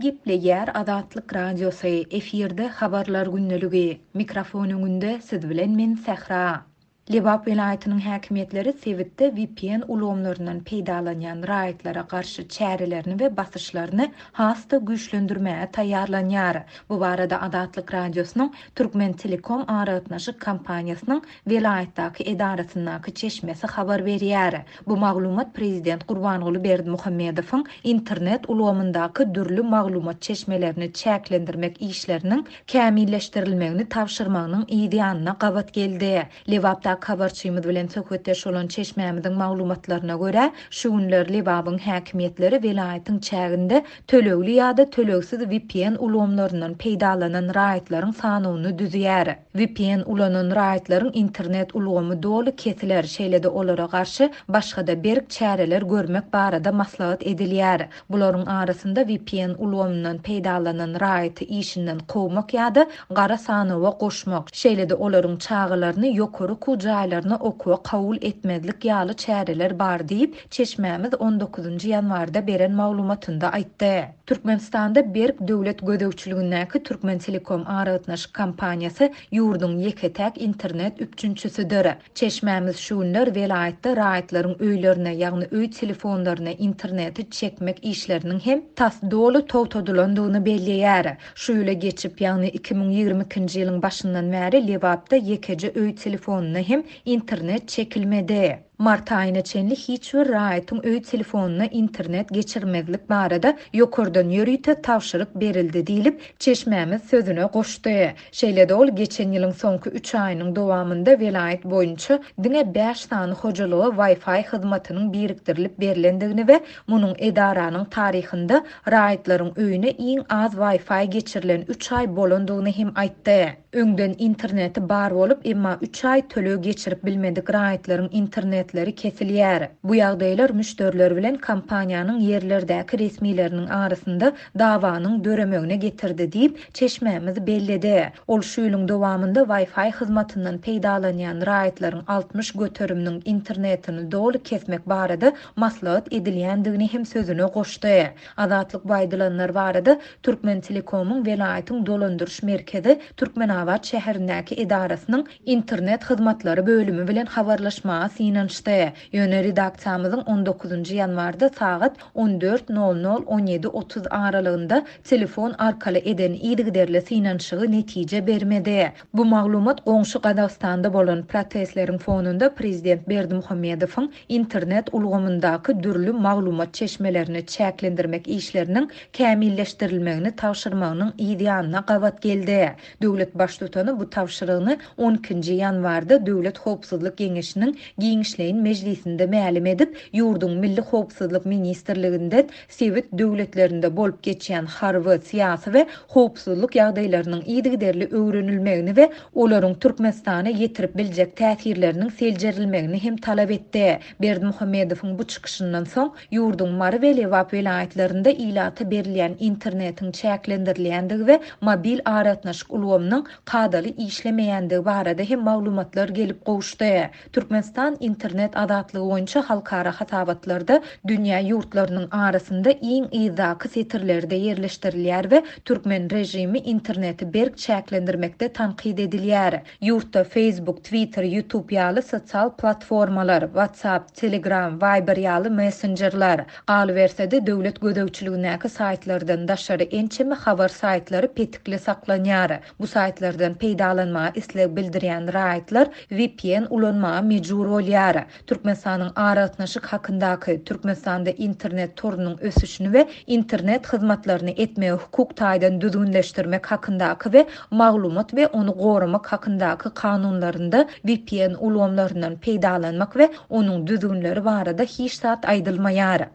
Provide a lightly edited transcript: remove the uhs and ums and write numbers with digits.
Gepleýär Azatlyk Radiosy, efirde Habarlar gündeligi. Mikrofon öňünde siz bilen men Sähra. Lebap welaýatynyň häkimiýetleri sebitde vpn ulgamlaryndan peýdalanýan raýatlara garşy çärelerini we basyşlaryny has-da güýçlendirmäge taýýarlanýar. Bu barada Azatlyk Radiosynyň Türkmentelekom aragatnaşyk kompaniýasynyň welaýatdaky edarasyndaky çeşmesi habar berýär. Bu maglumat prezident Gurbanguly Berdimuhamedowyň internet ulgamyndaky dürli maglumat çeşmelerini çäklendirmek işleriniň kämilleşdirilmegini tabşyrmagynyň yz ýanyna gabat geldi. Lebapdaky habarçymyz bilen söhbetdeş bolan çeşmämiziň maglumatlaryna görä, şu günler Lebabyň häkimiýetleri welaýatyň çäginde tölegli ýa-da tölegsiz vpn ulgamlaryndan peýdalanan raýatlaryň sanawyny düzýär. Vpn ulanan raýatlaryň internet ulgamy doly kesiler, şeýle-de olara garşy başga-da berk çäreler görmek barada maslahat edilýär. Bularyň arasynda vpn ulgamyndan peýdalanan raýaty işinden kowmak ýa-da gara sanawa goşmak, şeýle-de olaryň çagalaryny ýokary okuw jaýlaryna okuwa kabul etmezlik ýaly çäreler bar diýip, çeşmämiz on dokuzynjy ýanwarda beren maglumatynda aýtdy. Türkmenistanda berk döwlet gözegçiligindäki Türkmentelekom aragatnaşyk kompaniýasy ýurduň ýeke-täk internet üpjünçisidir. Çeşmämiz şu günler welaýatda raýatlaryň öýlerine, ýagny öý telefonlaryna interneti çekmek işleriniň hem tas doly togtadylandygyny belleýär. Şu ýyla geçip, ýagny 2022-nji ýylyň başyndan bäri Lebapda ýekeje öý telefonyna hem internet çekilmedi. Mart aýyna çenli hiç bir raýatyň öý telefonyna internet geçirmezlik barada ýokardan ýörite tabşyryk berildi diýlip, çeşmämiz sözüne goşdy. Şeýle-de ol geçen ýylyň soňky üç aýynyň dowamynda welaýat boýunça diňe bäş sany hojalyga Wi-Fi hyzmatynyň birikdirilip berlendigini we munuň edaranyň taryhynda raýatlaryň öýüne iň az Wi-Fi geçirilen üç aý bolandygyny hem aýtdy. Öňden interneti bar bolup, emma üç aý töleg geçirip bilmedik raýatlaryň internetleri kesilýär. Bu ýagdaýlar müşderiler bilen kompaniýanyň ýerlerdäki resmileriniň arasynda dawanyň döremegine getirdi diýip, çeşmämiz belledi. Ol şu ýylyň dowamynda Wi-Fi hyzmatyndan peýdalanýan raýatlaryň 60 göteriminiň internetini doly kesmek barada maslahat edilýändigini hem sözüne goşdy. Azatlyk bu aýdylanlar barada Türkmentelekomyň welaýatyň dolandyryş merkezi Türkmenabat şäherindäki edarasynyň internet hyzmatlary bölümi bilen habarlaşmaga synanyşdy. Ýöne redaksiýamyzyň on dokuzynjy ýanwarda sagat on dört nol nol, on ýedi 30 aralygynda telefon arkaly eden yzygiderli synanyşygy netije bermedi. Bu maglumat goňşy Gazagystanda bolan protestleriň fonunda prezident Berdimuhamedowyň internet ulgamyndaky dürli maglumat çeşmelerini çäklendirmek işleriniň kämilleşdirilmegini tabşyrmagynyň yz ýanyna gabat geldi. Döwlet Baştutany bu tabşyrygyny on ikinji ýanwarda Döwlet howpsuzlyk geňeşiniň giňişleýin mejlisinde mälim edip, ýurduň Milli howpsuzlyk ministrliginden sebit döwletlerinde bolup geçýän harby, syýasy we howpsuzlyk ýagdaýlarynyň yzygiderli öwrenilmegini we olaryň Türkmenistana ýetirip biljek täsirleriniň seljerilmegini hem talap etdi. Berdimuhamedowyň bu çykyşyndan soň, ýurduň Mary we Lebap welaýatlarynda ilata berilýän internetiň çäklendirilýändigi we mobil aragatnaşyk ulgamynyň kadaly işlemeýändigi barada hem maglumatlar gelip gowuşdy. Türkmenistan internet azatlygy boýunça halkara hasabatlarda dünýä ýurtlarynyň arasynda iň yzdaky setirlerde ýerleşdirilýär we türkmen režimi interneti berk çäklendirmekde tankyt edilýär. Ýurtda Facebook, Twitter, YouTube ýaly sosial platformalar, WhatsApp, Telegram, Viber ýaly messenjerler, galyberse-de döwlet gözegçiligindäki saýtlardan daşary ençeme habar saýtlary petikli saklanýar. Bu saýtlardan peýdalanmaga isleg bildirýän raýatlar vpn ulanmaga mejbur bolýar. Türkmenistanyň Aragatnaşyk hakyndaky, Türkmenistanda internet torunyň ösüşini we internet hyzmatlaryny etmegi hukuk taýdan düzgünleşdirmek hakyndaky we Maglumat we ony goramak hakyndaky kanunlarynda vpn ulgamlaryndan peýdalanmak we onuň düzgünleri barada hiç zat aýdylmaýar.